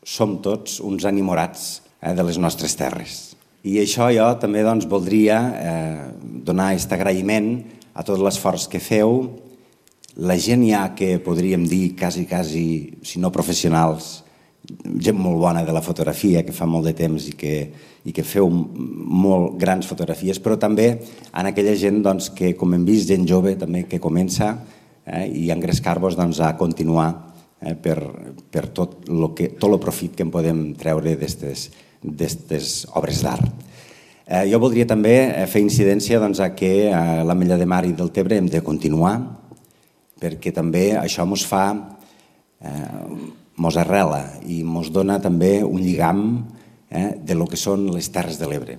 som tots uns enamorats de les nostres terres. I això jo també voldria donar aquest agraïment a tot l'esforç que feu, la gent ja que podríem dir quasi, si no professionals, gent molt bona de la fotografia, que fa molt de temps i que feu molt grans fotografies, però també en aquella gent que, com hem vist, gent jove també que comença i engrescar-vos a continuar per tot el profit que en podem treure d'aquestes obres d'art. Jo voldria també fer incidència que a l'Ametlla de Mar i del Tebre hem de continuar, perquè també això ens arrela i ens dona també un lligam de lo que són les Terres de l'Ebre.